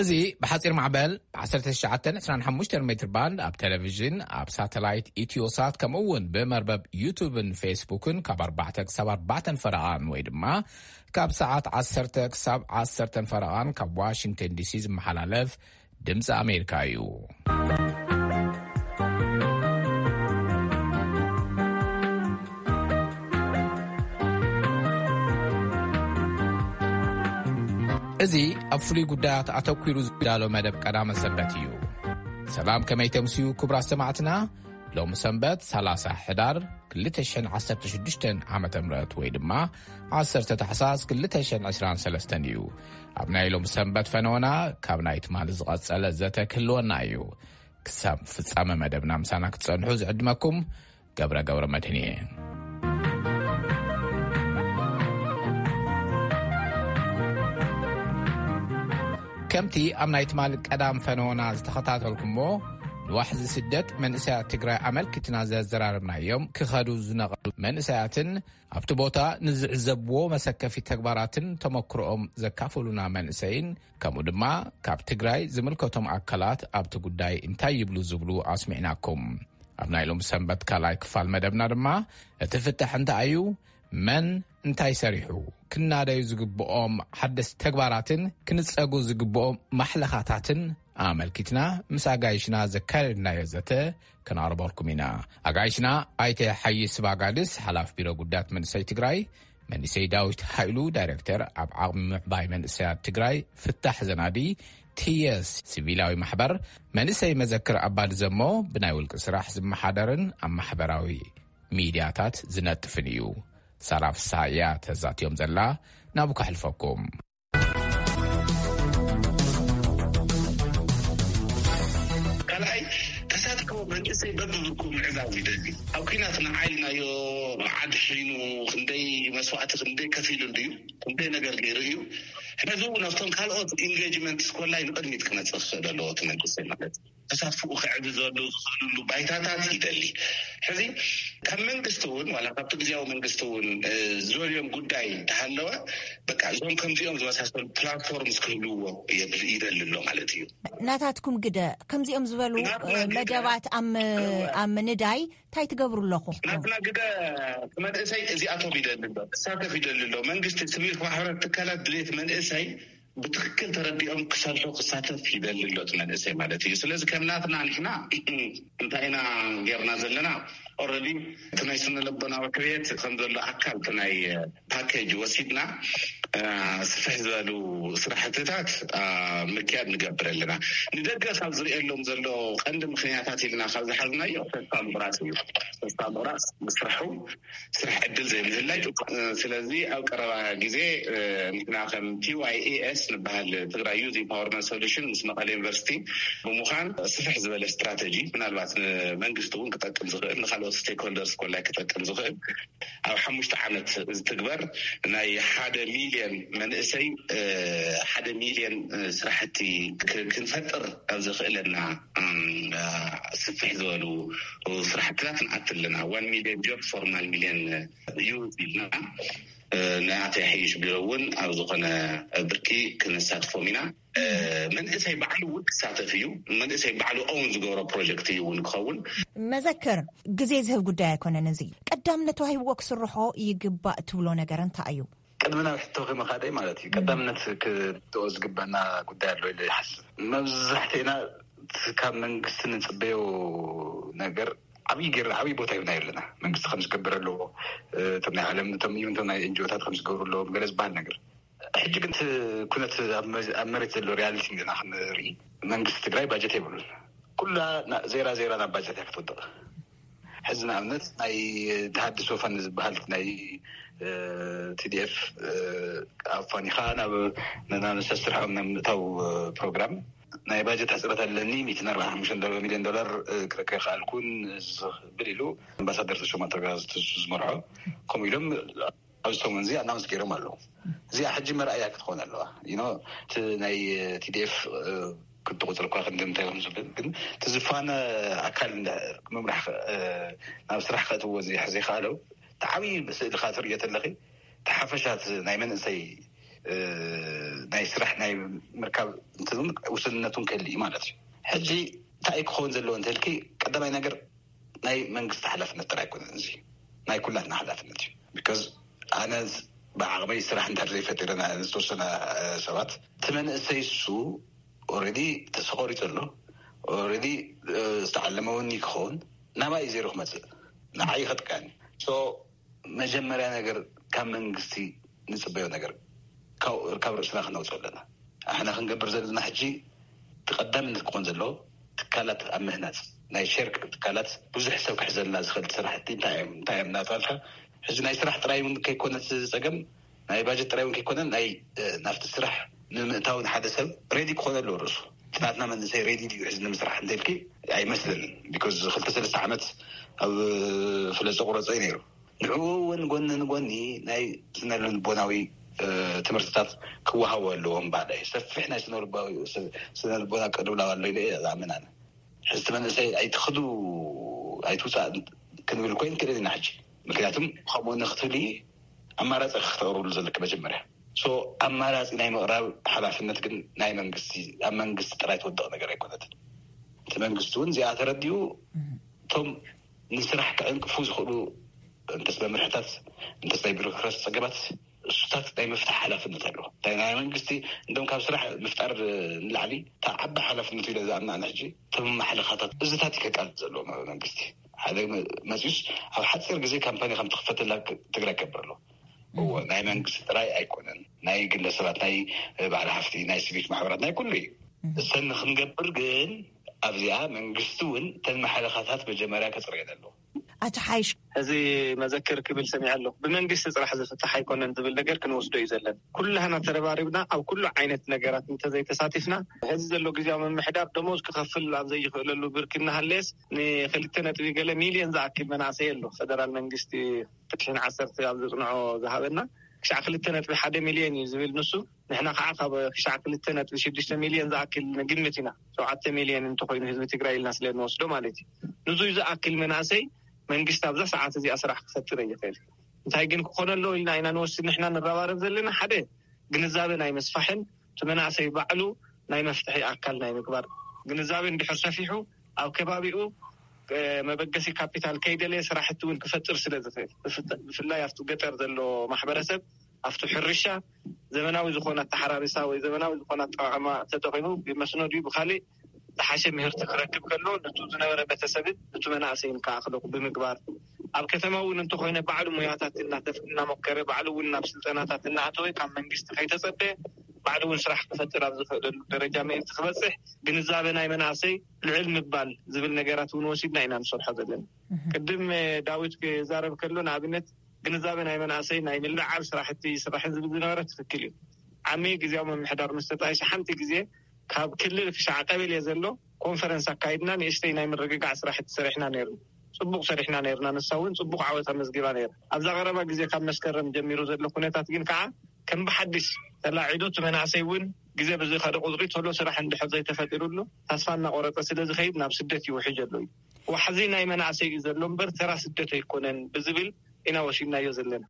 እዚ ብሓጺር ማዕበል ብ ዓሰርተ ትሽዓተ ዕስራን ሓሙሽተን ሜትር ባንድ ኣብ ቴሌቪዥን፣ ኣብ ሳተላይት ኢትዮሳት፣ ከምኡ እውን ብመርበብ ዩቱብን ፌስቡክን ካብ ኣርባዕተ ክሳብ ኣርባዕተን ፈረቓን ወይ ድማ ካብ ሰዓት ዓሰርተ ክሳብ ዓሰርተን ፈረቓን ካብ ዋሽንግተን ዲሲ ዝመሓላለፍ ድምፂ ኣሜሪካ እዩ። እዚ ኣብ ፍሉይ ጉዳያት ኣተኲሩ ዝዳሎ መደብ ቀዳመ ሰንበት እዩ። ሰላም፣ ከመይ ተምስዩ ክቡራት ሰማዕትና? ሎም ሰንበት ሰላሳ ሕዳር ክልተ ሽሕን ዓሰርተ ሽዱሽተን ዓመተ ምህረት ወይ ድማ ዓሰርተ ታሕሳስ ክልተ ሽሕን ዕስራን ሰለስተን እዩ። ኣብ ናይ ሎም ሰንበት ፈነወና ካብ ናይ ትማሊ ዝቐጸለ ዘተ ክህልወና እዩ። ክሳብ ፍጻመ መደብና ምሳና ክትጸንሑ ዝዕድመኩም ገብረ ገብረ መድህን እየ። ከምቲ ኣብ ናይ ትማሊ ቀዳም ፈነወና ዝተኸታተልኩሞ፣ ንዋሕዚ ስደት መንእሰያት ትግራይ ኣመልኪትና ዘዘራረብናዮም ክኸዱ ዝነቐሉ መንእሰያትን ኣብቲ ቦታ ንዝዕዘብዎ መሰከፊ ተግባራትን ተመክሮኦም ዘካፈሉና መንእሰይን፣ ከምኡ ድማ ካብ ትግራይ ዝምልከቶም ኣካላት ኣብቲ ጉዳይ እንታይ ይብሉ ዝብሉ ኣስሚዕናኩም። ኣብ ናይ ሎም ሰንበት ካልኣይ ክፋል መደብና ድማ እቲ ፍታሕ እንታይ እዩ፣ መን እንታይ ሰሪሑ፣ ክናደዩ ዝግብኦም ሓደስቲ ተግባራትን ክንጸጉ ዝግብኦም ማሕለኻታትን ኣመልኪትና ምስ ኣጋይሽና ዘካየድናዮ ዘተ ከነቕርበልኩም ኢና። ኣጋይሽና ኣይተ ሓይስ ባጋድስ፣ ሓላፊ ቢሮ ጉዳያት መንእሰይ ትግራይ፣ መንእሰይ ዳዊት ሃይሉ፣ ዳይሬክተር ኣብ ዓቕሚ ምዕባይ መንእሰያት ትግራይ ፍታሕ ዘናዲ ቲየስ ሲቪላዊ ማሕበር፣ መንእሰይ መዘክር ኣባዲ ዘሞ፣ ብናይ ውልቂ ስራሕ ዝመሓደርን ኣብ ማሕበራዊ ሚድያታት ዝነጥፍን እዩ። ሳራ ፍስሃ እያ ተዛትዮም ዘላ። ናብኡ ከሕልፈኩም። ካልኣይ፣ ተሳትፎ መንእሰይ በብብርኩ ምዕዛዝ ይደሊ። ኣብ ኲናት ንዓይ ኢልናዮ ዓዲ ሽይኑ ክንደይ መስዋእቲ ክንደይ ከፊሉ እንድዩ፣ ክንደይ ነገር ገይሩ እዩ። ሕዚ እውን ኣብቶም ካልኦት ኢንጌጅመንት ስኮላይ ንቕድሚት ክመፅእ ክኽእል ኣለዎ እቲ መንእሰይ ማለት እዩ። ተሳትፎኡ ክዕብዘሉ ዝኽእልሉ ባይታታት ይደሊ። ሕዚ ካብ መንግስቲ እውን ዋላ ካብቲ ግዜያዊ መንግስቲ እውን እ፣ ዝደልዮም ጉዳይ እንተሃለወ በቃ እዞም ከምዚኦም ዝመሳሰሉ ፕላትፎርምስ ክህልውዎ የብል- ይደሊ ኣሎ ማለት እዩ። ናታትኩም ግደ ከምዚኦም ዝበሉ ናትና እ፣ ግደ- መደባት ኣብ ም- እወ። ኣብ ምንዳይ እንታይ ትገብሩ ኣለኹም? ናትና ግደ እቲ መንእሰይ እዚኣቶም ይደሊ ኣሎ፣ ክሳተፍ ይደሊ ኣሎ። መንግስቲ፣ ሲቪል ማሕበራት ትካላት ድሌት መንእሰይ ብትክክል ተረዲኦም ክሰርሑ ክሳተፍ ይደሊ ኣሎ እቲ መንእሰይ ማለት እዩ። ስለዚ ከም ናትና ንሕና እንታይ ኢና ጌርና ዘለና? ኦረዲ እቲ ናይ ስነ ልቦናዊ ሕውየት ከም ዘሎ ኣካል እቲ ናይ ፓኬጅ ወሲድና እ፣ ስፍሕ ዝበሉ ስራሕትታት እ፣ ምክያድ ንገብር ኣለና። ንደገ ካብ ዝርእየሎም ዘሎ ቀንዲ ምክንያታት ኢልና ካብ ዝሓዝናዮ ተስፋ ምቁራፅ እዩ። ተስፋ ምቁራፅ፣ ምስርሑ ስራሕ ዕድል ዘይምህላይ። እ፣ ስለዚ ኣብ ቀረባ ግዜ እ፣ ንሕና ከም ቲ ዋይ ኤ ኤስ ንበሃል ትግራይ ዩዝ ኢምፓወርመንት ሶሉሽን ምስ መቐለ ዩኒቨርሲቲ ብምዃን ስፍሕ ዝበለ ስትራተጂ ምናልባት ንመንግስቲ እውን ክጠቅም ዝኽእል ንካልኦት ስቴክሆልደርስ ኮላይ ክጠቅም ዝኽእል ኣብ ሓሙሽተ ዓመት ዝትግበር ናይ ሓደ ሚልዮን መንእሰይ እ፣ ሓደ ሚልዮን እ፣ ስራሕቲ ክ- ክንፈጥር ኣብ ዘኽእለና እም፣ እ፣ ስፍሕ ዝበሉ ስራሕትታት ንኣት ኣለና። ዋን ሚልዮን ጆብ ፎር ዋን ሚልዮን ዩ ኢልና እ፣ ንኣተይ ሓይሽ ቢሮ እውን ኣብ ዝኾነ ብርኪ ክንሳትፎም ኢና። እ፣ መንእሰይ ባዕሉ እውን ክሳተፍ እዩ። መንእሰይ ባዕሉ ኦውን ዝገብሮ ፕሮጀክት እዩ እውን ክኸውን። መዘክር፣ ግዜ ዝህብ ጉዳይ ኣይኮነን። እዚ ቀዳምነት ተዋሂብዎ ክስርሖ ይግባእ ትብሎ ነገር እንታይ እዩ? ቅድሚ ናብ ሕቶ ከመኻደይ ማለት እዩ። ቀዳምነት ክትኦ ዝግበና ጉዳይ ኣሎ ኢለ ይሓስብ። መብዛሕትኤና እቲ ካብ መንግስቲ ንጽበዮ ነገር ዓብዪ ጌርና ዓብዪ ቦታ ሂብና ኣለና። መንግስቲ ከም ዝገብር ኣለዎ፣ እቶም ናይ ዓለም እቶም ኢቨን እቶም ናይ ኤንጂኦታት ከም ዝገብሩ ኣለዎም ገለ ዝበሃል ነገር። ሕጂ ግን እቲ ኩነት ኣብ መ- ኣብ መሬት ዘሎ ሪያሊቲ ኢና ክንርኢ። መንግስቲ ትግራይ ባጀት የብሉን። ኩላ ና- ዜራ ዜራ ናብ ባጀት እያ ክትወድቕ። ሕዚ ንኣብነት ናይ ተሃድሶ ፈንድ ዝበሃል ናይ ቲዲኤፍ ኣፋኒኻ ናብ ናብ ሰስርሖም ናብ ምእታው ፕሮግራም ናይ ባጀት ሕፅረት ኣለኒ፣ ሚእትን ኣርባዓን ሓሙሽተን ሚልዮን ዶላር ክረክብ ኣይከኣልኩን ዝብል ኢሉ ኣምባሳደር ተሾመ ኣተጋ ዝመርሖ ከምኡ ኢሎም ኣብዚ ሰሙን እዚ ኣናውንስ ገይሮም ኣለዉ። እዚኣ ሕጂ መርኣያ ክትኾን ኣለዋ። You know፣ እቲ ናይ ቲዲኤፍ ክትቁፅር እኳ ክንዲ እንታይ ከም ዝብል ግን እቲ ዝፋነ ኣካል እንዳ- ምምራሕ ኸ- ናብ ስራሕ ከእትዎ ዘይከኣለው እቲ ዓብዪ ስእሊ ከዓ ትርእዮ ተለኺ እቲ ሓፈሻ እቲ ናይ መንእሰይ ናይ ስራሕ ናይ ምርካብ እንትውን ውስንነቱን ከልእ ማለት እዩ። ሕጂ እንታይ ክኸውን ዘለዎ እንተልኪ፣ ቀዳማይ ነገር ናይ መንግስቲ ሓላፍነት ጥራይ ኣይኮነን፣ እዚ ናይ ኩላትና ሓላፍነት እዩ። ቢካዝ ኣነ ብዓቕመይ ስራሕ እንድሕር ዘይፈጢረ ዝተወሰነ ሰባት፣ እቲ መንእሰይ እሱ ኦልሬዲ ተስፋ ቆሪፁ ኣሎ። ኦልሬዲ ዝተዓለመ እውን ክኸውን ናባይ ዜሮ ክመፅእ ንዓይ ይኸጥቀኒ። መጀመርያ ነገር ካብ መንግስቲ ንፅበዮ ነገር ካብ ርእስና ክነውፅኦ ኣለና። ኣሕና ክንገብር ዘለና ሕጂ ተቐዳምነት ክኾን ዘለዎ ትካላት ኣብ ምህናፅ ናይ ሸርክ ትካላት ብዙሕ ሰብ ክሕዘልና ዝኽእል ስራሕቲ እንታይ እዮም እንታይ እዮም እናተባልካ፣ ሕዚ ናይ ስራሕ ጥራይ እውን ከይኮነ እቲ ፀገም፣ ናይ ባጀት ጥራይ እውን ከይኮነ ናይ ናፍቲ ስራሕ ንምእታውን ሓደ ሰብ ሬዲ ክኾነ ኣለዎ። ርእሱ ናትና መንእሰይ ሬዲ ድዩ ሕዚ ንምስራሕ እንተልኪ ኣይመስለንን። ቢኮዝ ክልተ ሰለስተ ዓመት ኣብ ፍለፀ ቁረፀ እዩ ነይሩ። ንዕኡ እውን ጎኒ ንጎኒ ናይ ስነ ልቦናዊ ትምህርትታት ክወሃቡ ኣለዎም። ባዕለ ሰፊሕ ናይ ስነ ልቦና ቅልውላው ኣሎ ኢለ ዝኣምን ኣነ። ሕዝቲ መንእሰይ ኣይትኽዱ ኣይትውፃእ ክንብል ኮይን ክእል ኢና ሕጂ። ምክንያቱም ከምኡ ንክትብል ኣማራፂ ክተቅርብሉ ዘለክ መጀመርያ። ኣማራፂ ናይ ምቅራብ ሓላፍነት ግን ናይ መንግስቲ ኣብ መንግስቲ ጥራይ ትወደቕ ነገር ኣይኮነትን። እቲ መንግስቲ እውን እዚኣ ተረዲኡ እቶም ንስራሕ ክዕንቅፉ ዝኽእሉ እንተስ መምርሕታት እንተስ ናይ ቢሮክራሲ ፀገማት እሱታት ናይ ምፍታሕ ሓላፍነት ኣለዎ። ናይ መንግስቲ እንደም ካብ ስራሕ ምፍጣር ንላዕሊ እታ ዓባይ ሓላፍነት ኢለ ዝኣምና ኣነ ሕጂ እቶም ማሕለኻታት እዚታት ይከቃል ዘለዎ መንግስቲ ሓደ መፅዩስ ኣብ ሓፂር ግዜ ካምፓኒ ከም ትኽፈተላ ትግራይ ከብር ኣሎ። እዎ ናይ መንግስቲ ጥራይ ኣይኮነን፣ ናይ ግለሰባት ናይ ባዕሊ ሃፍቲ ናይ ሲቪክ ማሕበራት ናይ ኩሉ እዩ። እሰን ክንገብር ግን ኣብዚኣ መንግስቲ እውን እተን ማሕለኻታት መጀመርያ ከፅርየን ኣለዎ። ኣቶ ሓይሽ እዚ መዘክር ክብል ሰሚዐ ኣለኹ። ብመንግስቲ ፅራሕ ዝፍታሕ ኣይኮነን ዝብል ነገር ክንወስዶ እዩ ዘለና። ኩላህና ተረባሪብና ኣብ ኩሉ ዓይነት ነገራት እንተዘይተሳቲፍና ሕዚ ዘሎ ግዜያዊ ምምሕዳር ደሞዝ ክኸፍል ኣብ ዘይኽእለሉ ብርኪ እናሃለየስ ንክልተ ነጥቢ ገለ ሚልዮን ዝኣክል መናእሰይ ኣሎ ፈደራል መንግስቲ ትሽን ዓሰርተ ኣብ ዘፅንዖ ዝሃበና ክሻዕ ክልተ ነጥቢ ሓደ ሚልዮን እዩ ዝብል ንሱ። ንሕና ከዓ ካብ ክሻዕ ክልተ ነጥቢ ሽዱሽተ ሚልዮን ዝኣክል ንግምት ኢና። ሸውዓተ ሚልዮን እንተኮይኑ ህዝቢ ትግራይ ኢልና ስለ ንወስዶ ማለት እዩ። ንዙይ ዝኣክል መናእሰይ መንግስቲ ኣብዛ ሰዓት እዚኣ ስራሕ ክፈጥር ይኽእል። እንታይ ግን ክኾነ ኣለዎ ኢልና ኢና ንወስድ ንሕና ንረባረብ ዘለና። ሓደ ግንዛበ ናይ ምስፋሕን እቲ መናእሰይ ባዕሉ ናይ መፍትሒ ኣካል ናይ ምግባር ግንዛበ እንድሕር ሰፊሑ ኣብ ከባቢኡ መበገሲ ካፒታል ከይደለየ ስራሕቲ እውን ክፈጥር ስለ ዝኽእል ብፍላይ ኣብቲ ገጠር ዘሎ ማሕበረሰብ ኣብቲ ሕርሻ ዘመናዊ ዝኾነ ኣተሓራሪሳ ወይ ዘመናዊ ዝኾነ ኣጠቃቅማ ተጠቂሙ ብመስኖ ድዩ ብካሊእ ዝሓሸ ምህርቲ ክረክብ ከሎ ነቱ ዝነበረ ቤተሰብን ነቱ መናእሰይን ከዓ ክለቁ ብምግባር ኣብ ከተማ እውን እንተኮይነ ባዕሉ ሙያታት እናተፍ እናሞከረ ባዕሉ እውን ናብ ስልጠናታት እናኣተወ ካብ መንግስቲ ከይተፀበየ ባዕሉ እውን ስራሕ ክፈጥር ኣብ ዝኽእለሉ ደረጃ ምእንቲ ክበፅሕ ግንዛበ ናይ መናእሰይ ልዕል ምባል ዝብል ነገራት እውን ወሲድና ኢና ንሰርሖ ዘለና። ቅድም ዳዊት ክዛረብ ከሎ ንኣብነት ግንዛበ ናይ መናእሰይ ናይ ምልዓል ስራሕቲ ይስራሕን ዝብል ዝነበረ ትክክል እዩ። ዓሚ ግዜያዊ ምምሕዳር ምስ ተጣይሰ ሓንቲ ግዜ ካብ ክልል ክሻዕ ቀበሌ ዘሎ ኮንፈረንስ ኣካይድና ንእሽተይ ናይ ምርግጋዕ ስራሕቲ ሰሪሕና ነይሩ። ፅቡቅ ሰሪሕና ነይርና። ንሳ እውን ፅቡቅ ዓወት ኣመዝጊባ ነይራ። ኣብዛ ቀረባ ግዜ ካብ መስከረም ጀሚሩ ዘሎ ኩነታት ግን ከዓ ከም ብሓድሽ ተላዒሉ እቲ መናእሰይ እውን ግዜ ብዝኸደ ቁፅሪ ቶሎ ስራሕ እንድሕር ዘይተፈጢሩሉ ተስፋ እናቆረፀ ስለ ዝኸይድ ናብ ስደት ይውሕጅ ኣሎ እዩ። ዋሕዚ ናይ መናእሰይ እዩ ዘሎ እምበር ተራ ስደት ኣይኮነን ብዝብል ኢና ወሲድናዮ ዘለና።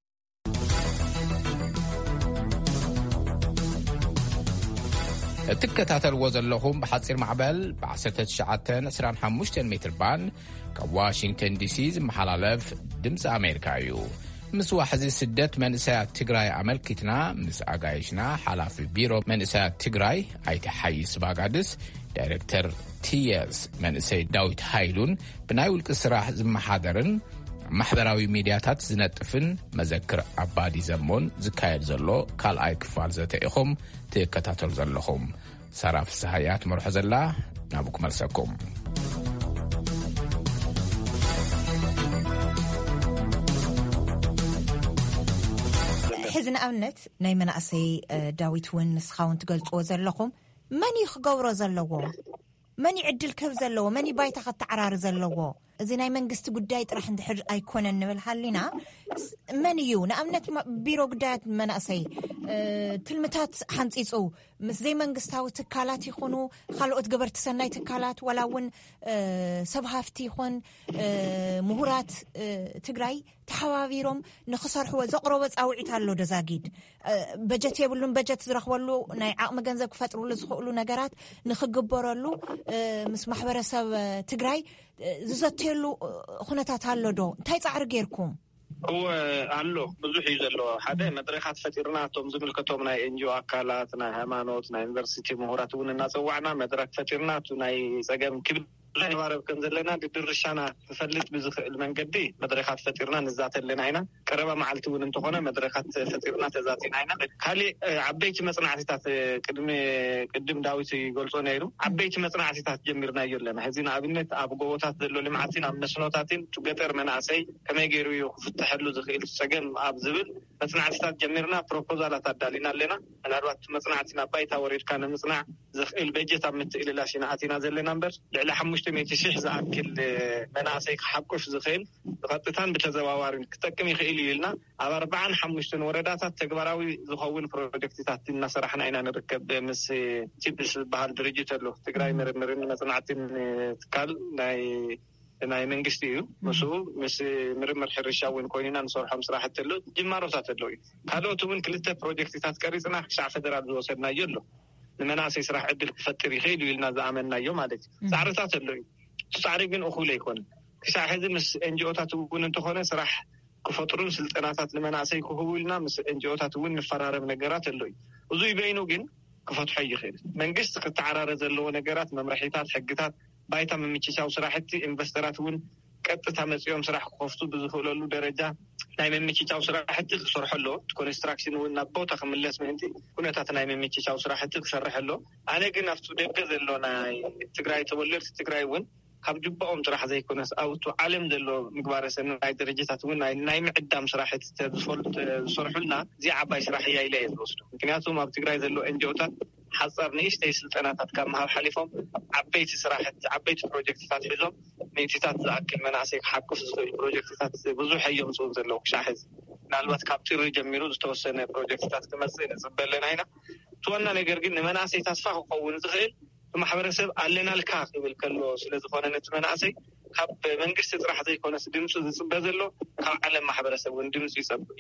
እትከታተልዎ ዘለኹም ብሓፂር ማዕበል ብ1925 ሜትር ባንድ ካብ ዋሽንግተን ዲሲ ዝመሓላለፍ ድምፂ ኣሜሪካ እዩ። ምስ ዋሕዚ ስደት መንእሰያት ትግራይ ኣመልኪትና ምስ ኣጋይሽና ሓላፊ ቢሮ መንእሰያት ትግራይ ኣይተ ሓይስ ባጋድስ፣ ዳይሬክተር ቲየስ መንእሰይ ዳዊት ሃይሉን ብናይ ውልቂ ስራሕ ዝመሓደርን ማሕበራዊ ሚድያታት ዝነጥፍን መዘክር ኣባዲ ዘሞን ዝካየድ ዘሎ ካልኣይ ክፋል ዘተ ኢኹም ትከታተሉ ዘለኹም። ሳራ ፍስሃያ ትመርሖ ዘላ ናብኡ ክመልሰኩም። ሕዚ ንኣብነት ናይ መናእሰይ ዳዊት እውን ንስኻ እውን ትገልፅዎ ዘለኹም መን እዩ ክገብሮ ዘለዎ? መን እዩ ዕድል ክህብ ዘለዎ? መን እዩ ባይታ ከተዓራሪ ዘለዎ? እዚ ናይ መንግስቲ ጉዳይ ጥራሕ እንድሕር ኣይኮነን ንብል ሃሊና መን እዩ ንኣብነት ቢሮ ጉዳያት መናእሰይ ትልምታት ሓንፂፁ ምስ ዘይመንግስታዊ ትካላት ይኹኑ ካልኦት ገበርቲ ሰናይ ትካላት፣ ዋላ እውን ሰብ ሃፍቲ ይኹን ምሁራት ትግራይ ተሓባቢሮም ንክሰርሕዎ ዘቕረቦ ፃውዒት ኣሎ። ደዛጊድ በጀት የብሉን። በጀት ዝረኽበሉ ናይ ዓቕሚ ገንዘብ ክፈጥሩሉ ዝኽእሉ ነገራት ንክግበረሉ ምስ ማሕበረሰብ ትግራይ ዝዘተየሉ ኩነታት ኣሎ ዶ? እንታይ ፃዕሪ ጌርኩም? እወ፣ ኣሎ። ብዙሕ እዩ ዘሎ። ሓደ መድረኻት ፈጢርና፣ እቶም ዝምልከቶም ናይ ኤንጂኦ ኣካላት፣ ናይ ሃይማኖት፣ ናይ ዩኒቨርሲቲ ምሁራት እውን እናፀዋዕና መድረክ ፈጢርና፣ እቲ ናይ ፀገም ክብድ ዘባረብ ከም ዘለና ድድርሻና ክፈልጥ ብዝኽእል መንገዲ መድረኻት ፈጢርና ንዛተ ኣለና ኢና። ቀረባ መዓልቲ እውን እንተኾነ መድረኻት ፈጢርና ተዛቲና ኢና። ካሊእ ዓበይቲ መፅናዕትታት ቅድሚ ቅድም ዳዊት ይገልጾ ነይሩ። ዓበይቲ መፅናዕትታት ጀሚርናዮ ኣለና። ሕዚ ንኣብነት ኣብ ጎቦታት ዘሎ ልምዓትን ኣብ መስኖታትን ገጠር መናእሰይ ከመይ ገይሩ እዩ ክፍተሐሉ ዝኽእል ጸገም ኣብ ዝብል መፅናዕትታት ጀሚርና ፕሮፖዛላት ኣዳሊና ኣለና። ምናልባት መፅናዕቲ ናብ ባይታ ወሪድካ ንምፅናዕ ዘኽእል በጀት ኣብ ምትእልላሽ ኢና ኣቲና ዘለና እምበር ልዕሊ ሓሙሽተ ሚእቲ ሽሕ ዝኣክል መናእሰይ ክሓቁፍ ዝኽእል ብቐጥታን ብተዘዋዋሪን ክጠቅም ይኽእል እዩ ኢልና ኣብ ኣርባዓን ሓሙሽተን ወረዳታት ተግባራዊ ዝኸውን ፕሮጀክትታት እናሰራሕና ኢና ንርከብ። ምስ ቲፕስ ዝበሃል ድርጅት ኣሎ፣ ትግራይ ምርምርን መፅናዕትን ትካል ናይ ናይ መንግስቲ እዩ። ምስኡ ምስ ምርምር ሕርሻ እውን ኮይንና ንሰርሖም ስራሕቲ ኣሎ፣ ጅማሮታት ኣለዉ እዩ። ካልኦት እውን ክልተ ፕሮጀክትታት ቀሪፅና ክሻዕ ፌደራል ዝወሰድናዮ ኣሎ፣ ንመናእሰይ ስራሕ ዕድል ክፈጥር ይኽእል እዩ ኢልና ዝኣመንናዮ ማለት እዩ። ፃዕርታት ኣሎ እዩ። እቲ ፃዕሪ ግን እኹል ኣይኮነን። ክሻዕ ሕዚ ምስ ኤንጂኦታት እውን እንተኾነ ስራሕ ክፈጥሩን ስልጠናታት ንመናእሰይ ክህቡ ኢልና ምስ ኤንጂኦታት እውን ንፈራረም ነገራት ኣሎ እዩ። እዙይ በይኑ ግን ክፈትሖ ይኽእል። መንግስቲ ክተዓራረ ዘለዎ ነገራት፣ መምርሒታት፣ ሕግታት፣ ባይታ ምምችቻው ስራሕቲ፣ ኢንቨስተራት እውን ቀጥታ መፂኦም ስራሕ ክኸፍቱ ብዝኽእለሉ ደረጃ ናይ ምምችቻው ስራሕቲ ክሰርሖ ኣለዎ። እቲ ኮንስትራክሽን እውን ናብ ቦታ ክምለስ ምእንቲ ኩነታት ናይ ምምችቻው ስራሕቲ ክሰርሕ ኣለዎ። ኣነ ግን ኣብቲ ደገ ዘሎ ናይ ትግራይ ተወለድቲ ትግራይ እውን ካብ ጅባኦም ጥራሕ ዘይኮነስ ኣብቱ ዓለም ዘሎ ምግባረ ሰናይ ድርጅታት እውን ናይ ምዕዳም ስራሕቲ ዝሰርሑልና እዚ ዓባይ ስራሕ እያ ኢለ እየ ዝወስዶ። ምክንያቱም ኣብ ትግራይ ዘሎ ኤንጂኦታት ሓፃር ንእሽተይ ስልጠናታት ካብ ምሃብ ሓሊፎም ዓበይቲ ስራሕቲ ዓበይቲ ፕሮጀክትታት ሒዞም ሚእትታት ዝኣክል መናእሰይ ክሓቁፍ ዝኽእል ፕሮጀክትታት ብዙሕ እዮም ዝፅኡ ዘለዉ። ክሻዕ ሕዚ ምናልባት ካብ ጥሪ ጀሚሩ ዝተወሰነ ፕሮጀክትታት ክመፅእ ንፅበ ኣለና ኢና። እቲ ዋና ነገር ግን ንመናእሰይ ተስፋ ክኸውን ዝኽእል ማሕበረሰብ ኣለናልካ ክብል ከሎ ስለዝኾነ ነቲ መናእሰይ ካብ መንግስቲ ጥራሕ ዘይኮነስ ድምፂ ዝፅበ ዘሎ ካብ ዓለም ማሕበረሰብ እውን ድምፂ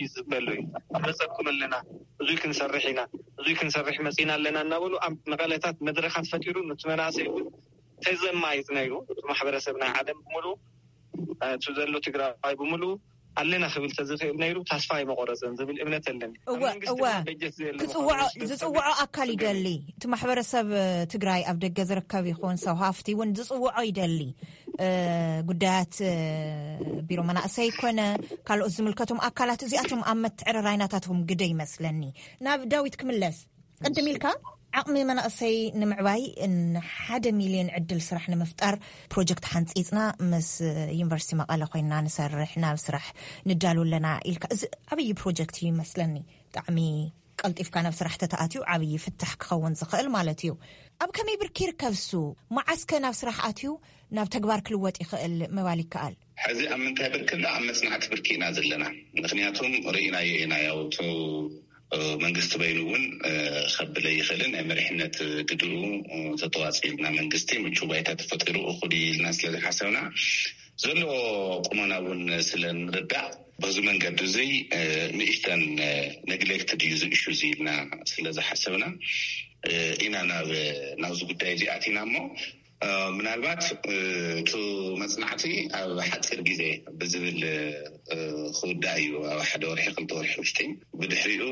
ይፅበ ኣሎ እዩ። መፀኩም ኣለና፣ እዙይ ክንሰርሕ ኢና፣ እዙይ ክንሰርሕ መፂና ኣለና እናበሉ ኣብ መቐለታት መድረካት ፈጢሩ ነቲ መናእሰይ እውን ተዘማይጥ ነይሩ። እቲ ማሕበረሰብ ናይ ዓለም ብምሉ እቲ ዘሎ ትግራዋይ ብምሉ ኣለና ክብል ተዝኽእል ነይሩ ተስፋ ኣይመቆረፀን ዝብል እምነት ኣለኒ። ዝፅውዖ ኣካል ይደሊ። እቲ ማሕበረሰብ ትግራይ ኣብ ደገ ዝርከብ ይኹን ሰብ ሃፍቲ እውን ዝፅውዖ ይደሊ። ጉዳያት ቢሮ መናእሰይ ኮነ ካልኦት ዝምልከቶም ኣካላት እዚኣቶም ኣብ መትዕርራይናታትኩም ግደ ይመስለኒ። ናብ ዳዊት ክምለስ ቅድም ኢልካ ዓቕሚ መናእሰይ ንምዕባይ ንሓደ ሚልዮን ዕድል ስራሕ ንምፍጣር ፕሮጀክት ሓንፂፅና ምስ ዩኒቨርሲቲ መቐለ ኮይና ንሰርሕ ናብ ስራሕ ንዳሉ ኣለና ኢልካ። እዚ ዓብዪ ፕሮጀክት እዩ ይመስለኒ። ብጣዕሚ ቀልጢፍካ ናብ ስራሕ ተተኣትዩ ዓብዪ ፍታሕ ክኸውን ዝኽእል ማለት እዩ። ኣብ ከመይ ብርኪ ይርከብ እሱ? መዓስከ ናብ ስራሕ ኣትዩ ናብ ተግባር ክልወጥ ይኽእል ምባል ይከኣል? ሕዚ ኣብ ምንታይ ብርኪ ኣሎ? ኣብ መፅናዕቲ ብርኪ ኢና ዘለና። ምክንያቱም ርኢናዮ ኢና ያውቱ መንግስቲ በይኑ እውን ከብለ ይኽእልን ናይ መሪሕነት ግድኡ ተተዋፂልና መንግስቲ ምቹ ባይታ ተፈጢሩ እኹል ኢልና ስለዝሓሰብና ዘለዎ ቁመና እውን ስለንርዳእ በዚ መንገዲ እዙይ ንእሽተን ነግሌክትድ እዩ ዝእሹ ኢልና ስለዝሓሰብና ኢና ናብ ናብዚ ጉዳይ እዚ ኣቲና እሞ ምናልባት እቲ መፅናዕቲ ኣብ ሓፂር ግዜ ብዝብል ክውዳእ እዩ። ኣብ ሓደ ወርሒ ክልተ ወርሒ ውሽጢ ብድሕሪኡ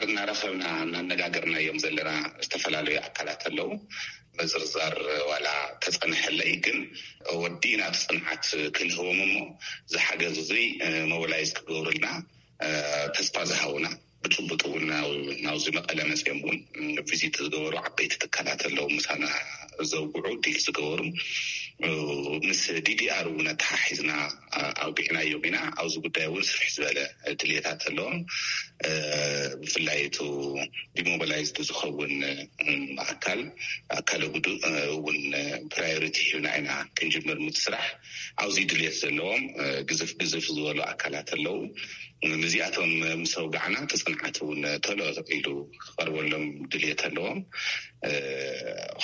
እናረኸብና እናነጋገርና እዮም ዘለና ዝተፈላለዩ ኣካላት ኣለዉ። ምዝርዛር ዋላ ተፀንሐለይ ግን ወዲእና እቲ ፅንዓት ክንህቦም እሞ ዝሓገዝ እዙይ ሞባላይዝ ክገብሩልና ተስፋ ዝሃቡና ብጭቡጥ እውን ናብዚ መቐለ መፅኦም እውን ቪዚት ዝገበሩ ዓበይቲ ትካላት ኣለዉ ምሳና ዘውግዑ ዲል ዝገበሩ ምስ ዲዲኣር እውን ኣተሓሒዝና ኣውግዕናዮም ኢና። ኣብዚ ጉዳይ እውን ስፍሕ ዝበለ ድልየታት ኣለዎም። ብፍላይ እቲ ዲሞባላይዝድ ዝኸውን ኣካል ምክልኻል ኣካለ ጉዱእ እውን ፕራዮሪቲ ሂብና ኢና ክንጅምር ምት ስራሕ። ኣብዚ ድልየት ዘለዎም ግዝፍ ግዝፍ ዝበሉ ኣካላት ኣለዉ። ንዚኣቶም ምስ ኣውጋዕና ተፅንዓት እውን ተሎ ኢሉ ክቐርበሎም ድልየት ኣለዎም።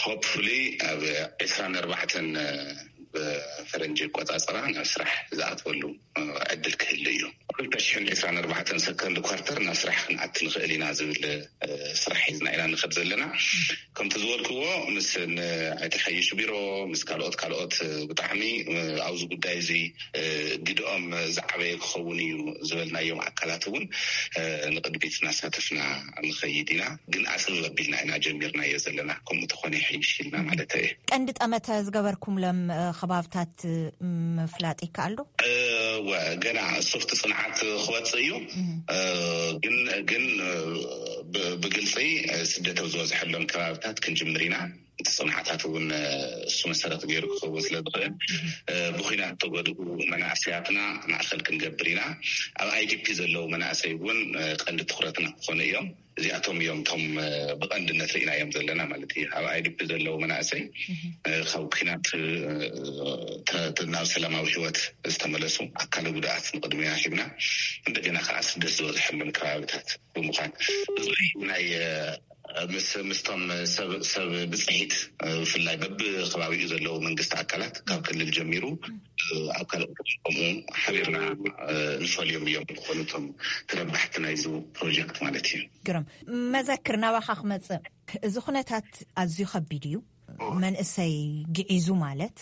ሆፕፉሊ ኣብ ዕስራን ኣርባዕተን ብፈረንጂ ኣቆፃፅራ ናብ ስራሕ ዝኣትወሉ ዕድል ክህሉ እዩ። ክልተ ሽሕን ዕስራን ኣርባዕተን ሰከንድ ኳርተር ናብ ስራሕ ክንኣት ንኽእል ኢና ዝብል ስራሕ ሒዝና ኢና ንኸድ ዘለና። ከምቲ ዝበልክዎ ምስ ኣይተሓይሽ ቢሮ ምስ ካልኦት ካልኦት ብጣዕሚ ኣብዚ ጉዳይ እዚ ግድኦም ዝዓበየ ክኸውን እዩ ዝበልናዮም ኣካላት እውን ንቅድሚት እናሳተፍና ንኸይድ ኢና። ግን ኣፅብብ ኣቢልና ኢና ጀሚርናዮ ዘለና። ከምኡ ተኾነ ይሕይሽ ኢልና ማለት እየ። ቀንዲ ጠመተ ዝገበርኩምሎም ከባብታት ምፍላጥ ይከኣል ዶ? ወ ገና ሶፍት ፅንዓት ክወፅእ እዩ። ግን ግን ብግልፂ ስደት ኣብ ዝበዝሐሎም ከባብታት ክንጅምር ኢና። እቲ ፅንዓታት እውን እሱ መሰረት ገይሩ ክኸውን ስለ ዝኽእል ብኩናት ተጎድኡ መናእሰያትና ማእኸል ክንገብር ኢና። ኣብ ኣይዲፒ ዘለዉ መናእሰይ እውን ቀንዲ ትኩረትና ክኾኑ እዮም። እዚኣቶም እዮም እቶም ብቐንድነት ርኢናዮም ዘለና ማለት እዩ። ኣብ ኣይዲፒ ዘለዉ መናእሰይ ካብ ኩናት ናብ ሰላማዊ ህይወት ዝተመለሱ ኣካለ ጉድኣት ንቅድሚና ሂብና እንደገና ከዓ ስደት ዝበዝሐሎም ከባብታት ብምዃን ናይ ምስቶም ሰብ ብፅሒት ብፍላይ በብከባቢኡ ዘለዉ መንግስቲ ኣካላት ካብ ክልል ጀሚሩ ኣብ ካልኦት ከምኡ ሓቢርና ንፈልዮም እዮም ዝኾኑ እቶም ተረባሕቲ ናይዚ ፕሮጀክት ማለት እዩ። ግርም መዘክር ናባኻ ክመፅእ እዚ ኩነታት ኣዝዩ ከቢድ እዩ። መንእሰይ ግዒዙ ማለት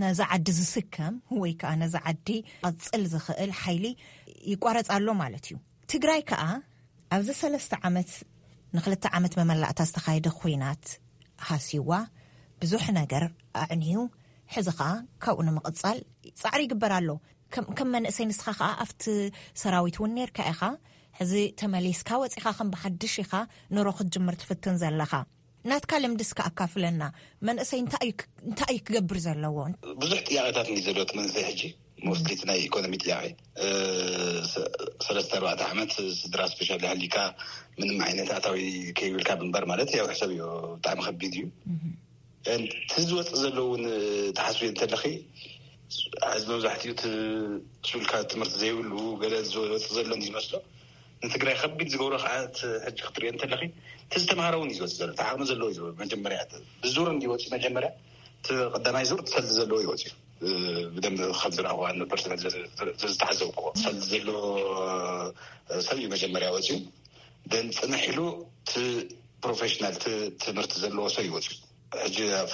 ነዛ ዓዲ ዝስከም ወይ ከዓ ነዛ ዓዲ ቀፅል ዝኽእል ሓይሊ ይቋረፅ ኣሎ ማለት እዩ። ትግራይ ከዓ ኣብዚ ሰለስተ ዓመት ንክልተ ዓመት መመላእታ ዝተኻየደ ኩናት ሃሲዋ ብዙሕ ነገር ኣዕንዩ ሕዚ ከዓ ካብኡ ንምቕፃል ፃዕሪ ይግበር ኣሎ። ከም መንእሰይ ንስኻ ከዓ ኣብቲ ሰራዊት እውን ነርካ ኢኻ። ሕዚ ተመሊስካ ወፂኻ ከም ብሓድሽ ኢኻ ኑሮ ክትጅምር ትፍትን ዘለኻ። ናትካ ልምዲ እስከ ኣካፍለና። መንእሰይ እንታይ እዩ ክገብር ዘለዎ? ብዙሕ ጥያቄታት እንዲ ዘሎ እቲ መንእሰይ ሕጂ ሞስትሊ ናይ ኢኮኖሚ ጥያቄ። ሰለስተ ኣርባዕተ ዓመት ስድራ ስፔሻል ሃሊካ ምንም ዓይነት ኣታዊ ከይብልካ ምንባር ማለት ያው ሕሰብ እዩ። ብጣዕሚ ከቢድ እዩ። እቲ ዝወፅእ ዘሎ እውን ተሓስቢ እንተለኺ ሕዚ መብዛሕትኡ እቲ ሱልካ ትምህርቲ ዘይብሉ ገለ ዝወፅእ ዘሎ እንዲ ዝመስሎ ንትግራይ ከቢድ ዝገብሮ ከዓ ሕጂ ክትሪኦ እንተለኺ እቲ ዝተምሃረ እውን እዩ ዝወፅእ ዘሎ። ተዓቕሚ ዘለዎ እዩ መጀመርያ ብዙር እንዲወፅእ መጀመርያ እቲ ቀዳማይ ዙር ትሰልዲ ዘለዎ ይወፅእ እዩ። ብደንብ ከም ዝረኣኹ ኣነ ፐርሰናል ዝተሓዘብኩዎ ትሰልዲ ዘሎ ሰብ እዩ መጀመርያ ወፅኡ። ደን ፅንሕ ኢሉ እቲ ፕሮፌሽናል ትምህርቲ ዘለዎ ሰብ ይወፅኡ። ሕጂ ኣብ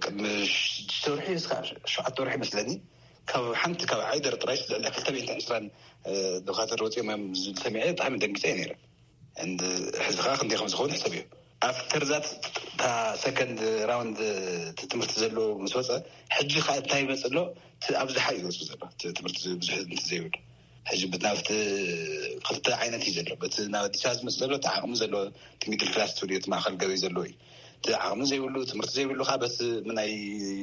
ቅድሚ ሽዱሽተ ወርሒ እስካ ሸውዓተ ወርሒ መስለኒ ካብ ሓንቲ ካብ ዓይደር ጥራይ ልዕሊ ክልተ ሚእትን ዕስራን ዶካተር ወፂኦም እዮም ዝብል ሰሚዐ ብጣዕሚ ደንጊፀ ነይረ። ሕዚ ከዓ ክንደይ ከም ዝኸውን ሕሰብ እዩ። ኣፍተር ዛት እታ ሰከንድ ራውንድ እቲ ትምህርቲ ዘለዎ ምስ ወፀ ሕጂ ከዓ እንታይ ይመፅእ ኣሎ? እቲ ኣብዝሓ እዩ ዝወፅእ ዘሎ እቲ ትምህርቲ ብዙሕ እንት ዘይብሉ ሕጂ ብናብቲ ክልተ ዓይነት እዩ ዘሎ። በቲ ናብ ኣዲስ ኣበባ ዝመፅእ ዘሎ እቲ ዓቕሚ ዘለዎ እቲ ሚድል ክላስ ትብልዮ እቲ ማእኸል ገበይ ዘለዎ እዩ። እቲ ዓቕሚ ዘይብሉ ትምህርቲ ዘይብሉ ከዓ በቲ ምናይ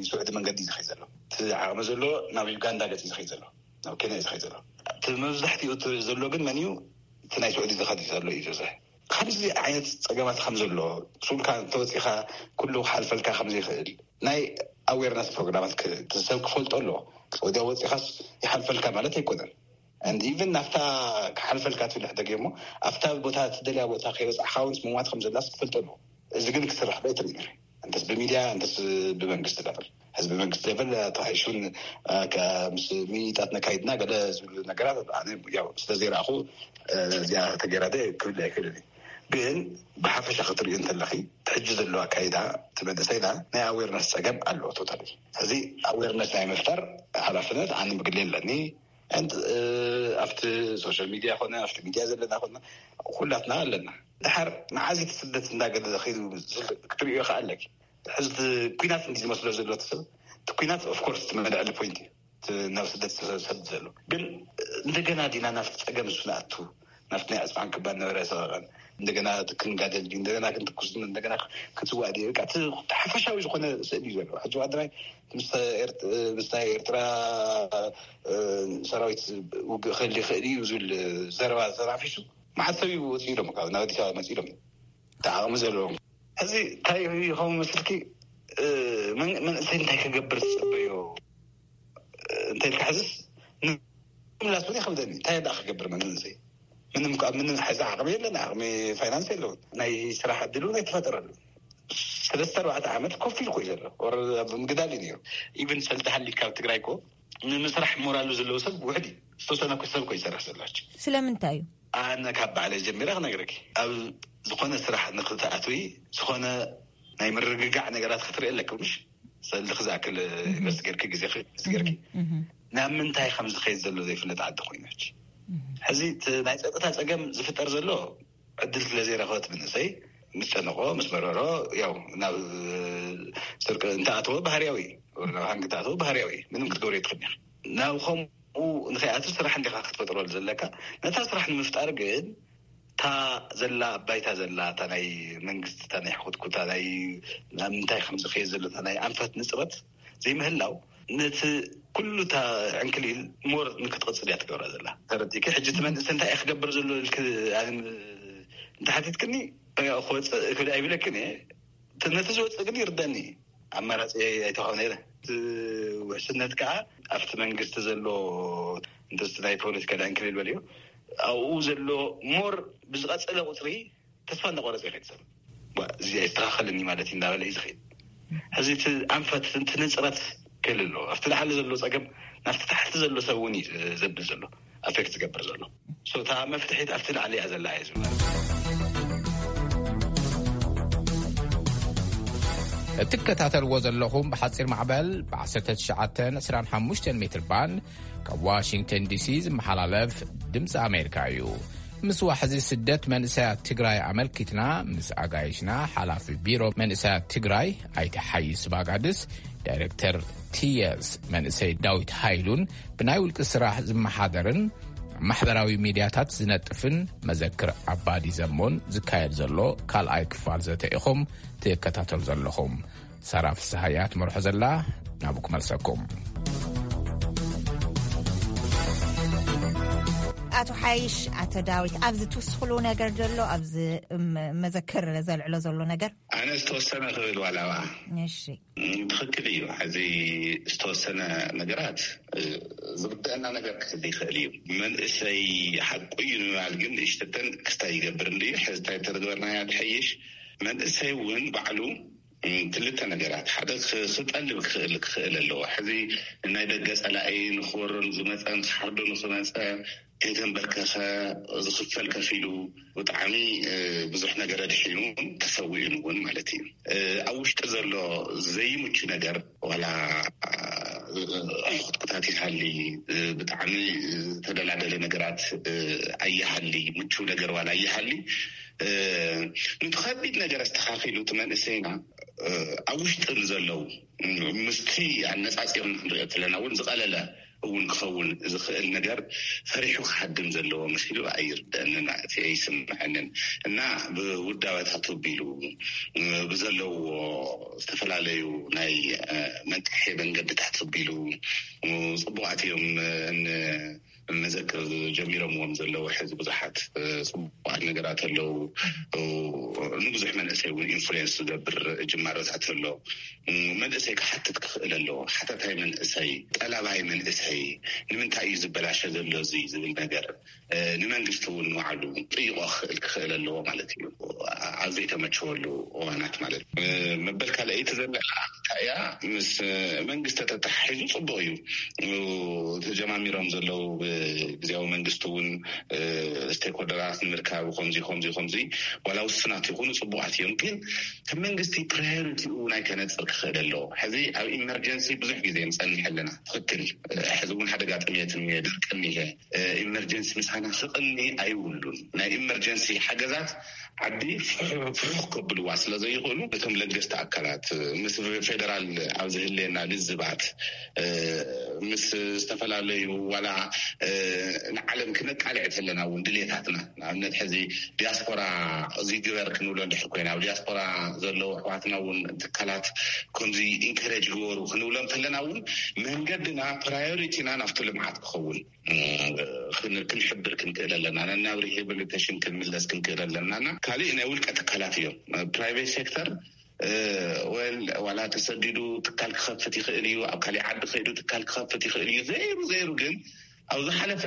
ስዑዲ መንገዲ እዩ ዝኸይ ዘሎ። እቲ ዓቕሚ ዘሎ ናብ ዩጋንዳ ገፅ እዩ ዝኸይ ዘሎ፣ ናብ ኬንያ እዩ ዝኸይ ዘሎ። እቲ መብዛሕትኡ እቲ ዘሎ ግን መን እዩ? እቲ ናይ ስዑዲ ዝኸድ ዘሎ እዩ ዝበዝሕ። ከምዚ ዓይነት ፀገማት ከም ዘሎ ሱልካ እንተወፂኻ ኩሉ ክሓልፈልካ ከም ዘይኽእል ናይ ኣዌርነስ ፕሮግራማት ሰብ ክፈልጦ ኣለዎ። ወዲያ ወፂኻስ ይሓልፈልካ ማለት ኣይኮነን። And even ናፍታ ክሓልፈልካ ትብል ሕደግ እሞ ኣብታ ቦታ ትደልያ ቦታ ከይበፃሕካ እውን ምሟት ከም ዘላስ ክፈልጦ ኣለዎ። እዚ ግን ክስራሕ ዶ ኣይትርኢ ነረ እንተስ ብሚድያ እንተስ ብመንግስቲ ዳብል ህዝቢ መንግስቲ ሌቨል ተሓይሹን ምስ ሚኒጣት ነካይድና ገለ ዝብሉ ነገራት ኣነ ያው ስለ ዘይረኣኹ እዚኣ ተገይራ ደ ክብል ኣይክእልን እዩ። ግን ብሓፈሻ ክትርእዩ እንተለኺ ሕጂ ዘሎ ኣካይዳ እቲ መንእሰይና ናይ ኣዌርነስ ፀገም ኣለዎ። ቶታሊ እዚ ኣዌርነስ ናይ ምፍጣር ሓላፍነት ኣነ ብግሌ ኣለኒ። ኣብቲ ሶሻል ሚድያ ኮነ ኣብቲ ሚድያ ዘለና ኮነ ኩላትና ኣለና። ድሓር መዓዝ እቲ ስደት እንዳገለ ኸይዱ ክትርእዮ ከኣለኪ ሕዚ ኩናት እንዲ ዝመስሎ ዘሎ ሰብ እቲ ኩናት ኦፍኮርስ እቲ መድዕሊ ፖይንት እዩ። ናብ ስደት ዝሰድ ዘሎ ግን እንደገና ዲና ናብቲ ፀገም እሱ ንኣቱ ናብቲ ናይ ዕፅፋን ክባን ነበረ ሰቐቐን እንደገና ክንጋደል ድዩ እንደገና ክንትኩስ ድዩ እንደገና ክትዋእ ድዩ በቃ እቲ ሓፈሻዊ ዝኾነ ስእሊ እዩ ዘሎ። ሕጂ ዋድራይ ምስ ናይ ኤርትራ ሰራዊት ውግእ ክህል ይኽእል እዩ ዝብል ዘረባ ተናፊሱ መዓት ሰብ እዩ ወፂኡ ኢሎም ካብ ናብ ኣዲስ ኣበባ መፂኡ ኢሎም እቲ ዓቕሚ ዘለዎም ሕዚ እንታይ ይኸውን መስልኪ? እ፣ መን-፣ መንእሰይ እንታይ ክገብር ዝጽበዮ? እ፣ እንታይ ኢልካ ሕዝስ? ንምምላስ እውን ይኸብደኒ። እንታይ ደኣ ክገብር መንእሰይ? ምንም ከ-፣ ምንም ሕዚ ዓቕሚ የለን፣ ዓቕሚ ፋይናንስ የለውን። ናይ ስራሕ ዕድል እውን ኣይተፈጠረሉ። ሰለስተ ኣርባዕተ ዓመት ኮፍ ኢልኩ እዩ ዘሎ። ወረ ኣብ ምግዳል እዩ ነይሩ። ኢቭን ሰልዲ ሃሊት ካብ ትግራይ እኮ ንምስራሕ ሞራሉ ዘለዎ ሰብ ውሕድ እዩ። ዝተወሰነ እኮ ሰብ እኮ ይሰርሕ ዘሎ። ስለምንታይ እዩ? ኣነ ካብ ባዕለይ ጀሚረ ክነግረኪ። ኣብ ዝኾነ ስራሕ ንክትኣትዊ፣ ዝኾነ ናይ ምርግጋዕ ነገራት ክትርኢ ኣለኪ፣ ምሽ? ሰልዲ ክዝኣክል ኢንቨስት ጌርኪ፣ ግዜ ኢንቨስት ጌርኪ። እህ፣ እህ። ናብ ምንታይ ከም ዝኸይድ ዘሎ ዘይፍለጥ ዓዲ ኮይናች። እህ። ሕዚ እቲ ናይ ጸጥታ ጸገም ዝፍጠር ዘሎ ዕድል ስለ ዘይረኸበት መንእሰይ ምስ ጨነቆ፣ ምስ መረሮ፣ ያው ናብ ስርቂ እንተኣተወ ባህርያዊ፣ ናብ ሃንግ እንተኣተወ ባህርያዊ፣ ምንም ክትገብሮ ኣይትኽእልን ኢኻ። ናብ ከምኡ ንኸይኣቱ ስራሕ እንዲኻ ክትፈጥረሉ ዘለካ። ነታ ስራሕ ንምፍጣር ግን እታ ዘላ፣ ባይታ ዘላ፣ እታ ናይ መንግስቲ፣ እታ ናይ ሕኩትኩታ፣ ናይ፣ ናብ ምንታይ ከም ዝኸይድ ዘሎ፣ እታ ናይ ኣንፈት ንጽረት ዘይምህላው፣ ነቲ ኩሉ እታ ዕንክሊል ሞር ንክትቕጽል እያ ትገብራ ዘላ። ተረዲእኪ? ሕጂ እቲ መንእሰይ እንታይ እዩ ክገብር ዘሎ ኢልክ፣ ኣነ፣ እንተሓቲትክኒ፣ ክወፅእ ክብል ኣይብለክን እየ። እቲ፣ ነቲ ዝወፅእ ግን ይርደኒ። ኣማራፂ ኣይተዋህበን ነይረ። እቲ ውሕስነት ከዓ ኣብቲ መንግስቲ ዘሎ፣ እንተስ ናይ ፖለቲካ ዕንክሊል በልዮ፣ ኣብኡ ዘሎ ሞር ብዝቐፀለ ቁፅሪ ተስፋ እንዳቆረፀ ይኸይድ ሰብ። ዋ፣ እዚ ኣይስተኻኸልን እዩ ማለት እዩ እንዳበለ እዩ ዝኸይድ። ሕዚ እቲ ኣንፈት፣ እቲ ንፅረት ክህሉ ኣለዎ። ኣብቲ ላዕሊ ዘሎ ፀገም ናብቲ ታሕቲ ዘሎ ሰብ እውን እዩ ዘብል ዘሎ፣ ኣፌክት ዝገብር ዘሎ። ሶ፣ እታ መፍትሒት ኣብቲ ላዕሊ እያ ዘላ እየ ዝብል። እትከታተልዎ ዘለኹም ብሓፂር ማዕበል ብ19፣ 25 ሜትር ባንድ ካብ ዋሽንግተን ዲሲ ዝመሓላለፍ ድምፂ ኣሜሪካ እዩ። ምስ ዋሕዚ ስደት መንእሰያት ትግራይ ኣመልኪትና ምስ ኣጋይሽና ሓላፊ ቢሮ መንእሰያት ትግራይ ኣይተ ሓይስ ባጋድስ፣ ዳይሬክተር ቲኤስ መንእሰይ ዳዊት ሃይሉን ብናይ ውልቂ ስራሕ ዝመሓደርን ማሕበራዊ ሚድያታት ዝነጥፍን መዘክር ኣባዲ ዘሞን ዝካየድ ዘሎ ካልኣይ ክፋል ዘተ ኢኹም ትከታተሉ ዘለኹም። ሳራ ፍስሃያ ትመርሖ ዘላ፣ ናብኡ ክመልሰኩም። ኣቶ ሓይሽ፣ ኣቶ ዳዊት፣ ኣብዚ ትውስኽሉ ነገር ዘሎ፣ ኣብዚ፣ እም፣ መዘክር ዘልዕሎ ዘሎ ነገር? ኣነ ዝተወሰነ ክብል ዋላ እባ። እሺ። እም፣ ትኽክል እዩ። ሕዚ ዝተወሰነ ነገራት፣ እ፣ ዝርድአና ነገር ክህሉ ይኽእል እዩ። መንእሰይ ሓቁ እዩ ንምባል ግን እሽተተን ክስታይ ይገብር እንድዩ። ሕዚ እንታይ ተረግበርናያ ትሐይሽ? መንእሰይ እውን ባዕሉ እም፣ ክልተ ነገራት። ሓደ ክ-፣ ክጠልብ ክኽእል፣ ክኽእል ኣለዎ። ሕዚ ናይ ደገ ጸላኢ ንኽወሮ ንዝመጸ፣ ንኽሓርዶ ንኽመጸ፣ ከይተንበርከኸ፣ ዝኽፈል ከፊሉ፣ ብጣዕሚ፣ እ፣ ብዙሕ ነገር ኣድሒኑ፣ ተሰዊኡን እውን ማለት እዩ። እ፣ ኣብ ውሽጢ ዘሎ ዘይምቹ ነገር፣ ዋላ፣ እ፣ ሕኹትኩታት ይሃሊ፣ እ፣ ብጣዕሚ ዝተደላደለ ነገራት፣ እ፣ ኣይሃሊ፣ ምቹ ነገር ዋላ ኣይሃሊ፣ እ፣ ነቲ ከቢድ ነገር ኣስተኻኺሉ እቲ መንእሰይና፣ እ፣ ኣብ ውሽጢ ንዘለዉ፣ እ፣ ምስቲ ኣነጻጺርና ክንሪኦ ከለና እውን ዝቐለለ እውን ክኸውን ዝኽእል ነገር ፈሪሑ ክሃድም ዘለዎ መሲሉ ኣይርደአንን፣ እቲ ኣይስምዐንን። እና ብውዳበታት ኣቢሉ፣ እ፣ ብዘለዎ ዝተፈላለዩ ናይ፣ እ፣ መንቅሒ መንገድታት ኣቢሉ፣ እ፣ ጽቡቓት እዮም፣ እ፣ ን-፣ መዘክር ጀሚሮምዎም ዘለዉ ሕዚ ብዙሓት፣ እ፣ ጽቡቓት ነገራት ኣለዉ። እ፣ ንብዙሕ መንእሰይ እውን ኢንፍሉዌንስ ዝገብር ጅማሮታት ኣሎ። እ፣ መንእሰይ ክሓትት ክኽእል ኣለዎ። ሓታታይ መንእሰይ፣ ጠላባይ መንእሰይ፣ ንምንታይ እዩ ዝበላሸ ዘሎ እዚ ዝብል ነገር፣ እ፣ ንመንግስቲ እውን ንባዕሉ ጥይቆ ክኽእል ክኽእል ኣለዎ ማለት እዩ። ኣብ ዘይተመቸወሉ እዋናት ማለት እዩ። እ፣ መበል ካልኣይቲ ዘላ እንታይ እያ? ምስ መንግስቲ ተተሓሒዙ ጽቡቕ እዩ። ተጀማሚሮም ዘለዉ ብግዜያዊ መንግስቲ እውን፣ እ፣ ስቴክሆልደራት ንምርካብ ከምዚ፣ ከምዚ፣ ከምዚ፣ ዋላ ውሱናት ይኹኑ ጽቡቓት እዮም። ግን እቲ መንግስቲ ፕራዮሪቲኡ እውን ኣይከነጽር ክኽእል ኣለዎ። ሕዚ ኣብ ኢመርጀንሲ ብዙሕ ግዜ ንጸንሕ ኣለና። ትኽክል። ሕዚ እውን ሓደጋ ጥሜት እኒሀ፣ ድርቂ እኒሀ። እ፣ ኢመርጀንሲ ምሳና ክቕኒ ኣይብሉን። ናይ ኢመርጀንሲ ሓገዛት ዓዲ ፍሕ-፣ ፍሑኽ ከብልዋ ስለ ዘይኽእሉ፣ እቶም ለገስቲ ኣካላት፣ ምስ ፌደራል ኣብ ዝህልየና ልዝባት፣ እ፣ ምስ ዝተፈላለዩ ዋላ፣ እ፣ ንዓለም ክነቃልዕ ተለና እውን ድሌታትና፣ ንኣብነት ሕዚ ዲያስፖራ እዚ ግበር ክንብሎ እንድሕር ኮይና፣ ኣብ ዲያስፖራ ዘለዉ ኣሕዋትና እውን ትካላት ከምዚ ኢንከሬጅ ግበሩ ክንብሎም ተለና እውን መንገድና ፕራዮሪቲና ናብቲ ልምዓት ክኸውን እ፣ ክን-፣ ክንሕብር ክንክእል ኣለና። ነናብ ሪሃብሊቴሽን ክንምለስ ክንክእል ኣለና። እና ካልእ ናይ ውልቀ ትካላት እዮም። ፕራይቬት ሴክተር ወል ዋላ ተሰዲዱ ትካል ክኸፍት ይኽእል እዩ፣ ኣብ ካልእ ዓዲ ከይዱ ትካል ክኸፍት ይኽእል እዩ። ዘይሩ ዘይሩ ግን ኣብ ዝሓለፈ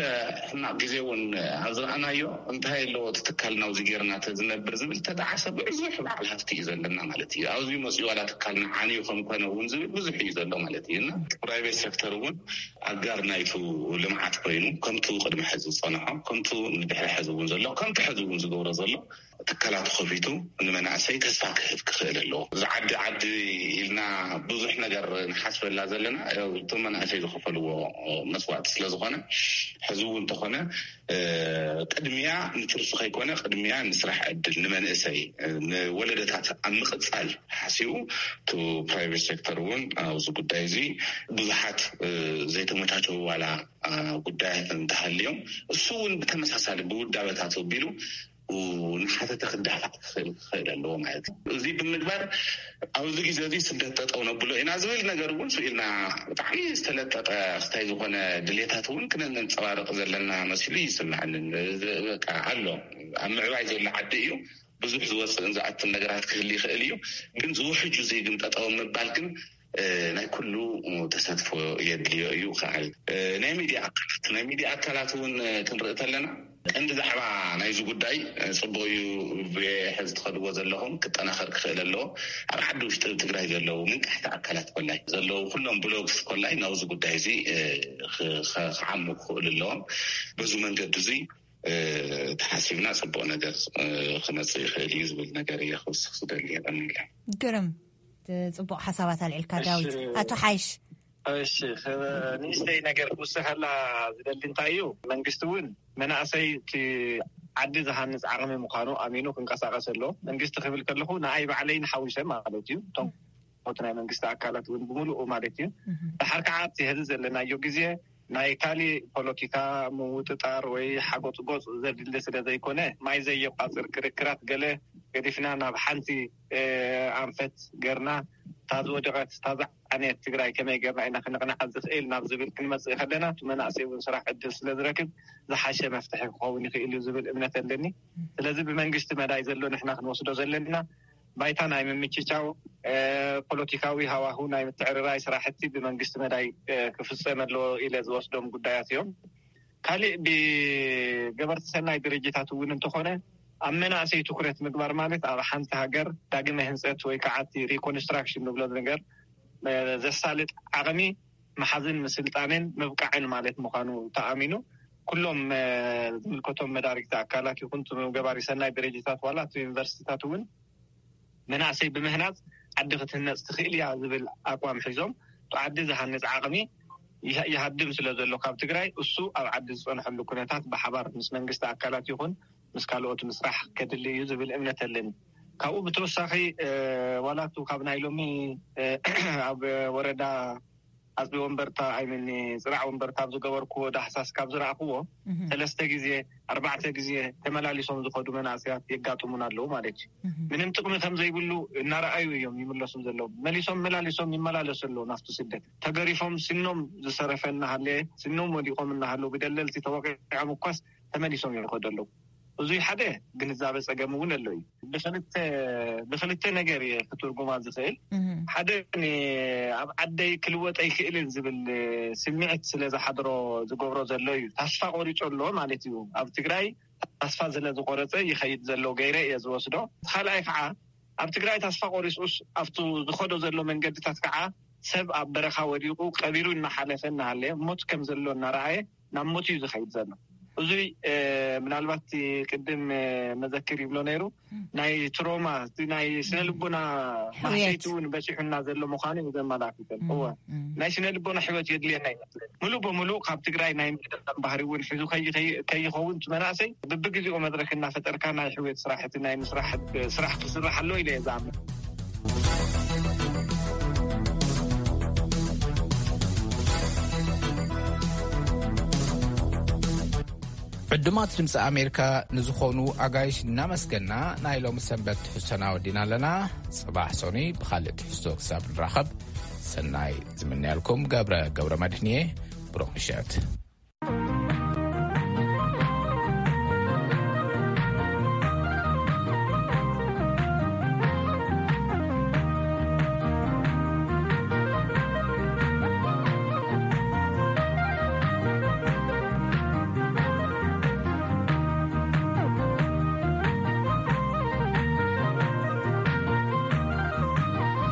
ሕማቕ ግዜ እውን ኣብ ዝረኣናዮ፣ እንታይ ኣለዎ እቲ ትካል ናብዚ ጌርና ተዝነብር ዝብል ተጣዓሰ ብዙሕ በዓል ሃፍቲ እዩ ዘለና ማለት እዩ። ኣብዚ መፅኡ ዋላ ትካልና ዓንዩ ከም ኮነ እውን ዝብል ብዙሕ እዩ ዘሎ ማለት እዩ። እና ፕራይቬት ሴክተር እውን ኣጋር ናይቱ ልምዓት ኮይኑ፣ ከምቱ ቅድሚ ሕዚ ዝፀንሖ፣ ከምቱ ንድሕሪ ሕዚ እውን ዘሎ፣ ከምቲ ሕዚ እውን ዝገብሮ ዘሎ ትካላት ከፊቱ ንመናእሰይ ተስፋ ክህብ ክኽእል ኣለዎ። እዚ ዓዲ ዓዲ ኢልና ብዙሕ ነገር ንሓስበላ ዘለና፣ ያው እቶም መናእሰይ ዝኸፈልዎ መስዋዕቲ ስለ ዝኾነ፣ ሕዚ እውን እንተኾነ ቅድሚያ ንትርፊ ከይኮነ፣ ቅድሚያ ንስራሕ ዕድል ንመንእሰይ፣ ንወለደታት ኣብ ምቕጻል ሓሲቡ፣ እቲ ፕራይቬት ሴክተር እውን ኣብዚ ጉዳይ እዚ ብዙሓት ዘይተመቻቸዉ ዋላ ጉዳያት እንተሃልዮም፣ እሱ እውን ብተመሳሳሊ ብውዳበታት ኣቢሉ ንሓተተ ክዳፋዕ ክኽእል ክኽእል ኣለዎ ማለት እዩ። እዚ ብምግባር ኣብዚ ግዜ እዚ ስደት ጠጠው ነብሎ ኢና ዝብል ነገር እውን ስኢልና፣ ብጣዕሚ ዝተለጠጠ ክስታይ ዝኾነ ድሌታት እውን ክነንጸባርቕ ዘለና መሲሉ ይስምዓኒ። በቃ ኣሎ፣ ኣብ ምዕባይ ዘሎ ዓዲ እዩ። ብዙሕ ዝወፅእን ዝኣትን ነገራት ክህል ይኽእል እዩ። ግን ዝውሕጁ እዚ ግን ጠጠው ምባል ግን ናይ ኩሉ ተሳትፎ የድልዮ እዩ። ከዓል ናይ ሚድያ ኣካላት፣ ናይ ሚድያ ኣካላት እውን ክንርኢ ተለና፣ ቀንዲ ዛዕባ ናይዚ ጉዳይ ጽቡቅ እዩ። ብሕዚ ትኸድዎ ዘለኹም ክጠናኸር ክኽእል ኣለዎ። ኣብ ዓዲ ውሽጢ ትግራይ ዘለዉ ምንቃሕቲ ኣካላት ኮላይ ዘለዉ ኩሎም ብሎግስ ኮላይ ናብዚ ጉዳይ እዚ ክዓሙ ክኽእሉ ኣለዎም። በዚ መንገዲ እዚ ተሓሲብና ጽቡቕ ነገር ክመጽእ ይኽእል እዩ ዝብል ነገር እየ ክውስኽ ዝደሊ። የቐንለ። ግርም፣ ጽቡቕ ሓሳባት ኣልዕልካ ዳዊት። ኣቶ ሓይሽ። እሺ፣ ንእሽተይ ነገር ክውስኸላ ዝደሊ እንታይ እዩ፣ መንግስቲ እውን መናእሰይ እቲ ዓዲ ዝሃንፅ ዓቕሚ ምዃኑ ኣሚኑ ክንቀሳቀስ ኣሎ። መንግስቲ ክብል ከለኹ ንኣይ ባዕለይ ንሓዊሰ ማለት እዩ። እቶም እቲ ናይ መንግስቲ ኣካላት እውን ብምሉኡ ማለት እዩ። ድሓር ከዓ ኣብቲ ህዚ ዘለናዮ ግዜ ናይ ካሊእ ፖለቲካ ምውጥጣር ወይ ሓጎፅጎፅ ዘድሊ ስለ ዘይኮነ፣ ማይ ዘየቋፅር ክርክራት ገለ ገዲፍና ናብ ሓንቲ ኣንፈት ገርና፣ እታ ዝወደቐት እታ ዝዓነየት ትግራይ ከመይ ገርና ኢና ክንቕንዓ ዝኽእል ናብ ዝብል ክንመፅእ ከለና፣ እቲ መናእሰይ እውን ስራሕ ዕድል ስለ ዝረክብ ዝሓሸ መፍትሒ ክኸውን ይኽእል እዩ ዝብል እምነት ኣለኒ። ስለዚ ብመንግስቲ መዳይ ዘሎ ንሕና ክንወስዶ ዘለና ባይታ ናይ ምምችቻው ፖለቲካዊ ሃዋሁ ናይ ምትዕርራይ ስራሕቲ ብመንግስቲ መዳይ ክፍፀም ኣለዎ ኢለ ዝወስዶም ጉዳያት እዮም። ካሊእ ብገበርቲ ሰናይ ድርጅታት እውን እንተኾነ ኣብ መናእሰይ ትኩረት ምግባር ማለት ኣብ ሓንቲ ሃገር ዳግመ ህንፀት ወይ ከዓ እቲ ሪኮንስትራክሽን ንብሎ ነገር ዘሳልጥ ዓቕሚ ምሓዝን ምስልጣንን ምብቃዕን ማለት ምዃኑ ተኣሚኑ ኩሎም ዝምልከቶም መዳርግቲ ኣካላት ይኹን ገባሪ ሰናይ ድርጅታት ዋላ እቲ ዩኒቨርሲቲታት እውን መናእሰይ ብምህናፅ ዓዲ ክትህነፅ ትኽእል እያ ዝብል ኣቋም ሒዞም እቲ ዓዲ ዝሃንፅ ዓቕሚ ይሃድም ስለ ዘሎ ካብ ትግራይ እሱ ኣብ ዓዲ ዝፀንሐሉ ኩነታት ብሓባር ምስ መንግስቲ ኣካላት ይኹን ምስ ካልኦት ምስራሕ ከድሊ እዩ ዝብል እምነት ኣለኒ። ካብኡ ብተወሳኺ ዋላቱ ካብ ናይ ሎሚ ኣብ ወረዳ ኣፅቢ ወንበርታ ኣይምን ፅራዕ ወንበርታ ኣብ ዝገበርኩዎ ዳህሳስ ካብ ዝረእክዎ ሰለስተ ግዜ ኣርባዕተ ግዜ ተመላሊሶም ዝኸዱ መናእሰያት የጋጥሙን ኣለዉ ማለት እዩ። ምንም ጥቕሚ ከም ዘይብሉ እናረኣዩ እዮም ይምለሱ ዘለዉ። መሊሶም መላሊሶም ይመላለሱ ኣለዉ ናብቲ ስደት። ተገሪፎም ስኖም ዝሰረፈ እናሃለየ ስኖም ወዲቖም እናሃለዉ ብደለልቲ ተወቂዖም እኳስ ተመሊሶም ይኸዱ ኣለዉ። እዙይ ሓደ ግንዛበ ፀገም እውን ኣሎ እዩ። ብክልተ ብክልተ ነገር እየ ክትርጉማ ዝኽእል። ሓደ ኣብ ዓደይ ክልወጥ ኣይክእልን ዝብል ስምዒት ስለ ዝሓድሮ ዝገብሮ ዘሎ እዩ። ታስፋ ቆሪፁ ኣሎ ማለት እዩ። ኣብ ትግራይ ታስፋ ስለ ዝቆረፀ ይኸይድ ዘሎ ገይረ እየ ዝወስዶ። ካልኣይ ከዓ ኣብ ትግራይ ታስፋ ቆሪፁስ ኣብቱ ዝኸዶ ዘሎ መንገድታት ከዓ ሰብ ኣብ በረኻ ወዲቑ ቀቢሩ እናሓለፈ እናሃለየ ሞት ከም ዘሎ እናረኣየ ናብ ሞት እዩ ዝኸይድ ዘሎ። እዙይ ምናልባት ቅድም መዘክር ይብሎ ነይሩ ናይ ትሮማ ናይ ስነ ልቦና ማህሰይቲ እውን በፂሑና ዘሎ ምዃኑ እዩ ዘመላክተን። እወ ናይ ስነ ልቦና ሕይወት የድልየና ይመስለኒ። ሙሉ በሙሉ ካብ ትግራይ ናይ ምድቃም ባህሪ እውን ሒዙ ከይኸውን እቲ መናእሰይ ብብግዜኡ መድረክ እናፈጠርካ ናይ ሕውየት ስራሕ እቲ ናይ ምስራሕ ስራሕ ክስራሕ ኣሎ ኢለ እየ ዝኣምን። ዕዱማት ድምፂ ኣሜሪካ ንዝኾኑ ኣጋይሽ እናመስገና ናይ ሎሚ ሰንበት ትሕዝቶና ወዲና ኣለና። ፅባሕ ሶኒ ብኻልእ ትሕዝቶ ክሳብ ንራኸብ ሰናይ ዝምንያልኩም ገብረ ገብረ መድህንየ። ብሩኽ ምሸት።